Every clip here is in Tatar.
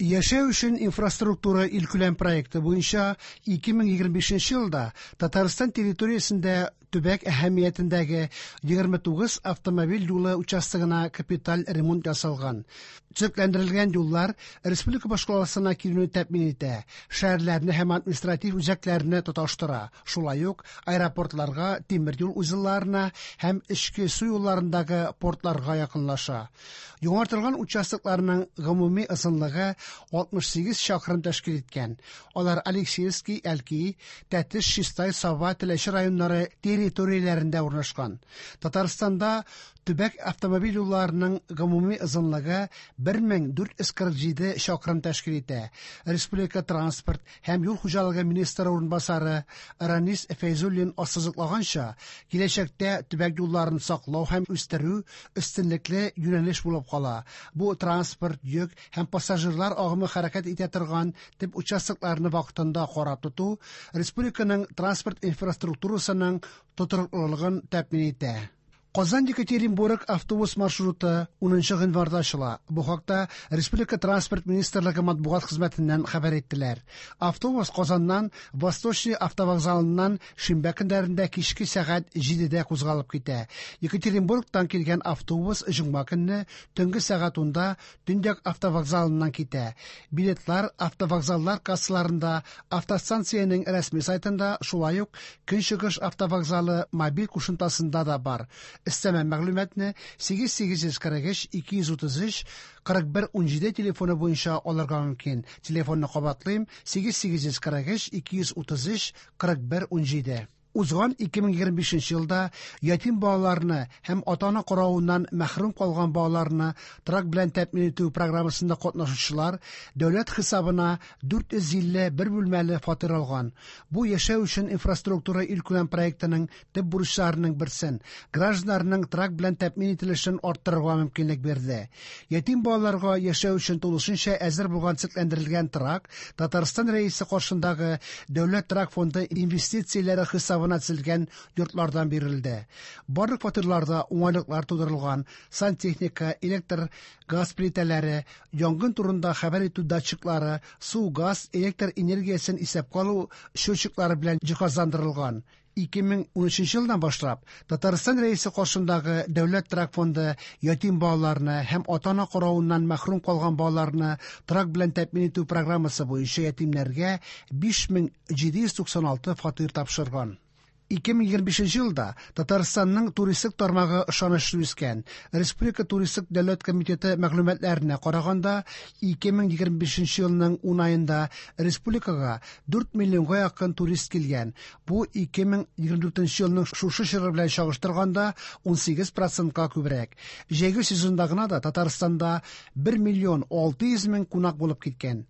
Яшәү өчен инфраструктура илкүләм проекты буенча 2025 елда Татарстан территориясендә төбәк әһәмиятендәге 29 автомобиль юлы участогына капиталь ремонт ясалган. Төзекләндерелгән юллар республика башкаласына килүне тәэмин итә, шәһәрләрне һәм административ үзәкләрне тоташтыра, шулай ук аэропортларга, тимер юл узелларына һәм эчке су юлларындагы портларга якынлаша. Яңартылган участокларның гомуми озынлыгы 68 чакрым тәшкил иткән. Алар Алексеевский, Әлки, Тәтеш, Чистай, Саба, Теләче районнары территорияләрендә урнашкан. Татарстанда төбәк автомобиль юлларының гомуми озынлыгы 1447 чакрым тәшкил итә. Республика транспорт һәм юл хуҗалыгы министры урынбасары Ранис Фәйзуллин ассызыклаганча, киләчәктә төбәк юлларын саклау һәм үстерү өстенлекле юнәлеш булып кала. Бу транспорт, йөк һәм пассажирлар агымы хәрәкәт итә торган төп участокларны вакытында карап тоту республиканың транспорт инфраструктурасының тотрыклылыгын тәэмин итә. Казан Екатеринбург автобус маршруты 10 гыйнварда ачыла. Бу хакта Республика транспорт министрлыгы матбугат хезмәтеннән хәбәр иттеләр. Автобус Казаннан Восточный автовокзалыннан шимбә көннәрендә кичке сәгать 7дә кузгалып китә. Екатеринбургтан килгән автобус җомга көнне төнге сәгать 10да Төньяк автовокзалыннан китә. Билетлар автовокзаллар кассаларында, автостанциянең рәсми сайтында, шулай ук Көнчыгыш автовокзалы мобиль кушымтасында да бар. Өстәмә мәгълүматны 8843 233 41 17 телефоны буенча алырга мөмкин. Телефонны кабатлыйм: 8843 233 41 17. Узган 2025 елда ятим балаларны һәм ата-ана каравыннан мәхрүм калган балаларны торак белән тәэмин итү программасында катнашучылар дәүләт хисабына 451 бүлмәле фатир алган. Бу яшәү өчен инфраструктура илкүләм проектының төп бурычларының берсен гражданнарның торак белән тәэмин ителешен арттырырга мөмкинлек бирде. Ятим балаларга яшәү өчен тулысынча әзер булган төзекләндерелгән торак Татарстан Рәисе каршындагы Дәүләт торак фонды инвестицияләре хисабына төзелгән йортлардан бирелде. Барлык фатирларда уңайлыклар тудырылган: сантехника, электр, газ плитәләре, янгын турында хәбәр итү датчиклары, су, газ, электр энергиясен исәпкә алу счетчиклары белән җиһазландырылган. 2013 елдан башлап Татарстан Рәисе каршындагы Дәүләт торак фонды ятим балаларны һәм ата-ана каравыннан мәхрүм калган балаларны торак белән тәэмин итү программасы буенча ятимнәргә 5796 фатир тапшырган. 2025 елда Татарстанның туристик тармагы ышанычлы үскән. Республика туристик дәүләт комитеты мәгълүматларына караганда, 2025 елның 10 аенда республикага 4 миллионга якын турист килгән. Бу 2024 елның шушы чоры белән чагыштырганда 18 процентка күбрәк. Җәйге сезонда гына да Татарстанда 1 миллион 600 мең кунак булып киткән.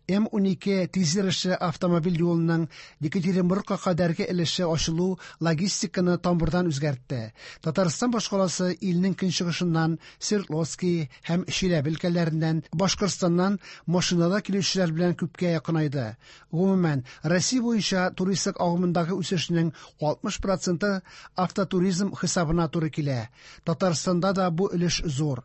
М12 тизйөрешле автомобиль юлының Екатеринбургка кадәрге өлеше ачылу логистиканы тамырдан үзгәртте. Татарстан башкаласы илнең көнчыгышыннан, Свердловский һәм Чиләбе өлкәләреннән, Башкортстаннан машинада килүчеләр белән күпкә якынайды. Гомумән, Россия буенча туристлык агымындагы үсешнең 60 проценты автотуризм хисабына туры килә. Татарстанда да бу өлеш зур.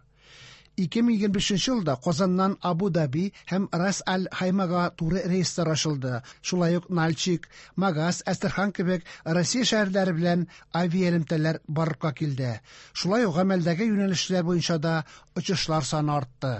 2025 елда Казаннан Абу-Даби һәм Рас-аль-Хаймага туры рейслар ачылды. Шулай ук Нальчик, Магас, Әстерхан кебек Россия шәһәрләре белән авиаэлемтәләр барлыкка килде. Шулай ук гамәлдәге юнәлешләр буенча да очышлар саны артты.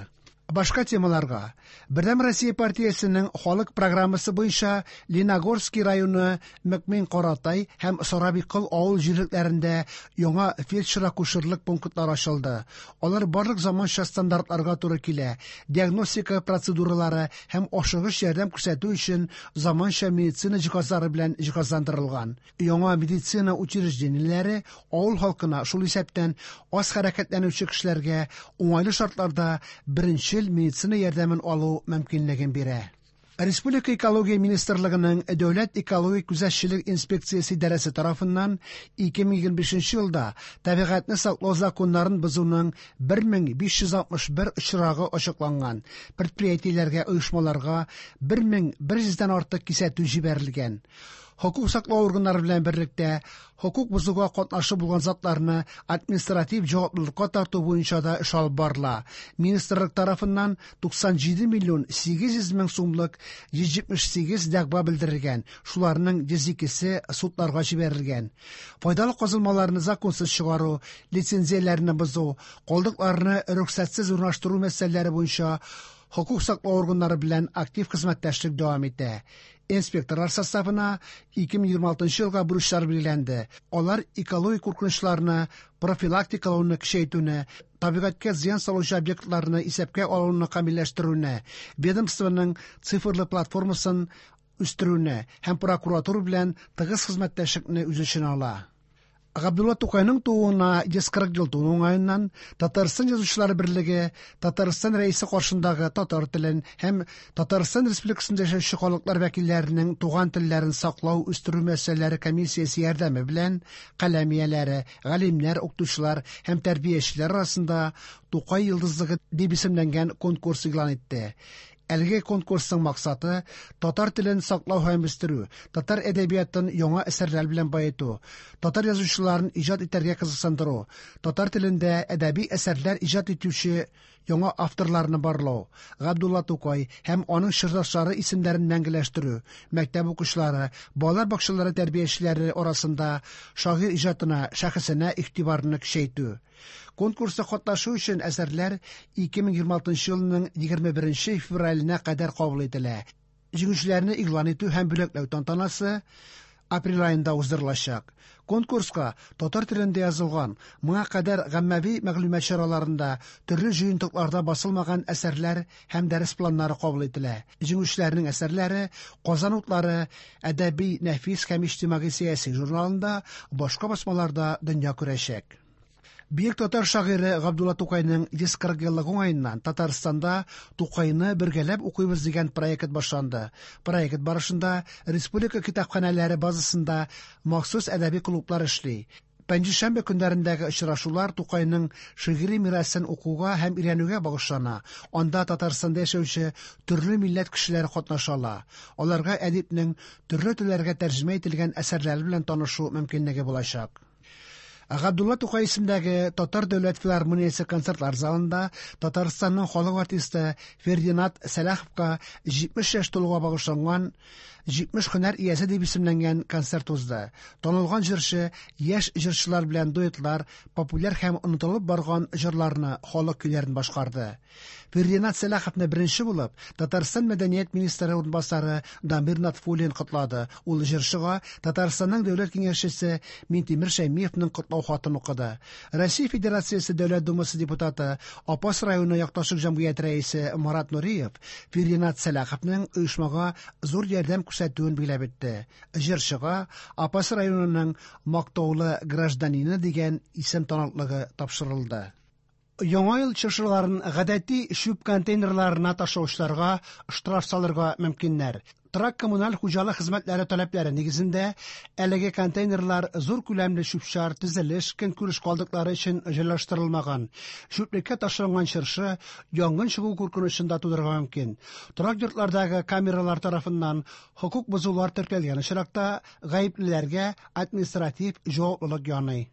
Башка темаларга. Бердәм Россия партиясенең халык программасы буенча Леногорский районы Мөкмин Каратай һәм Сарабиккол авыл җирлекләрендә яңа фельдшер-акушерлык пунктлары ачылды. Алар барлык заманча стандартларга туры килә. Диагностика процедуралары һәм ашыгыч ярдәм күрсәтү өчен заманча медицина җиһазлары белән җиһазландырылган. Яңа медицина учреждениеләре авыл халкына, шул исәптән аз хәрәкәтләнүче кешеләргә уңайлы шартларда беренчел медицина ярдәмен алу мөмкинлеген бирә. Республика экология министрлыгының Дәүләт экологик күзәтчелек инспекциясе идарәсе тарафыннан 2025 елда табигатьне саклау законнарын бозуның 1561 очрагы ачыкланган. Предприятиеләргә, оешмаларга 1100дән артык кисәтү җибәрелгән. Хокук саклау органнары белән берлектә хокук бозуга катнашы булган затларны административ җаваплылыкка тарту буенча да эш алып барыла. Министрлык тарафыннан 97 миллион 800 мең сумлык 178 дәгъва белдерелгән, шуларның 102-се судларга җибәрелгән. Файдалы казылмаларны законсыз чыгару, лицензияләрне бозу, калдыкларны рөхсәтсез урнаштыру мәсьәләләре буенча хокук саклау органнары белән актив хезмәттәшлек дәвам итә. Инспекторлар составына 2026 елга бурычлар билгеләнде. Алар экологик куркынычларны профилактикалауны көчәйтүне, табигатькә зыян салучы объектларны исәпкә алуны камилләштерүне, ведомствоның цифрлы платформасын үстерүне һәм прокуратура белән тыгыз хезмәттәшлекне үз эченә ала. Габдулла Тукайның тууына 140 ел тулу уңаеннан Татарстан Язучылар берлеге Татарстан Рәисе каршындагы татар телен һәм Татарстан Республикасында яшәүче халыклар вәкилләренең туган телләрен саклау, үстерү мәсьәләләре комиссиясе ярдәме белән каләм ияләре, галимнәр, укытучылар һәм тәрбиячеләр арасында Тукай йолдызлыгы дип исемләнгән конкурс игълан итте. Әлеге конкурсның максаты татар телен саклау һәм үстерү, татар әдәбиятын яңа әсәрләр белән баету, татар язучыларын иҗат итәргә кызыксындыру, татар телендә әдәби әсәрләр иҗат итүче яңа авторларны барлау, Габдулла Тукай һәм аның чордашлары исемнәрен мәңгеләштерү, мәктәп укучылары, балалар бакчалары тәрбиячеләре арасында шагыйрь иҗатына, шәхесенә игътибарны көчәйтү. Конкурста катнашу өчен әсәрләр 2026 елның 21 февраленә кадәр кабул ителә. Җиңүчеләрне игълан итү һәм бүләкләү тантанасы апрель аенда уздырылачак. Конкурска татар телендә язылган, моңа кадәр гаммәви мәгълүмат чараларында, төрле җыентыкларда басылмаган әсәрләр һәм дәрес планнары кабул ителә. Җиңүчеләрнең әсәрләре Казан утлары әдәби, нәфис һәм иҗтимагый сәяси журналында, башка басмаларда дөнья күрәчәк. Бөек татар шагыйре Габдулла Тукайның 140 еллыгы уңаеннан Татарстанда Тукайны бергәләп укыйбыз дигән проект башланды. Проект барышында республика китапханәләре базасында махсус әдәби клублар эшли. Пәнҗешәмбе көннәрендәге очрашулар Тукайның шигъри мирасын укуга һәм өйрәнүгә багышлана. Анда Татарстанда яшәүче төрле милләт кешеләре катнаша ала. Аларга әдипнең төрле телләргә тәрҗемә ителгән әсәрләре белән танышу мөмкинлеге булачак. Габдулла Тукай исемендәге Татар дәүләт филармониясе концертлар залында Татарстанның халык артисты Фердинат Сәлаховка 70 яшь тулуга багышланган 70 һөнәр иясе дип исемләнгән концерт узды. Танылган җырчы яшь җырчылар белән дуэтлар, популяр һәм онытылып барган җырларны, халык көйләрен башкарды. Фердинат Сәлаховны беренче булып Татарстан мәдәният министры урынбасары Дамир Натфуллин котлады. Ул җырчыга Татарстанның дәүләт киңәшчесе Минтимер Шәймиевның котлау хатын укыды. Россия Федерациясе Дәүләт Думасы депутаты, Апас районы якташлык җәмгыяте рәисе Марат Нуриев Фердинат Сәлаховның оешмага зур ярдәм күрсәтүен билгеләп үтте. Җырчыга Апас районының мактаулы гражданины дигән исем таныклыгы тапшырылды. Яңа ел чыршыларын гадәти чүп контейнерларына ташлаучыларга штраф салырга мөмкиннәр. Торак коммуналь хуҗалык хезмәтләре таләпләре нигезендә әлеге контейнерлар зур күләмле чүп-чар, төзелеш, көнкүреш калдыклары өчен җайлаштырылмаган. Чүплеккә ташланган чыршы янгын чыгу куркынычын да тудырырга мөмкин. Торак йортлардагы камералар тарафыннан хокук бозулар теркәлгән очракта гаеплеләргә административ җаваплылык яный.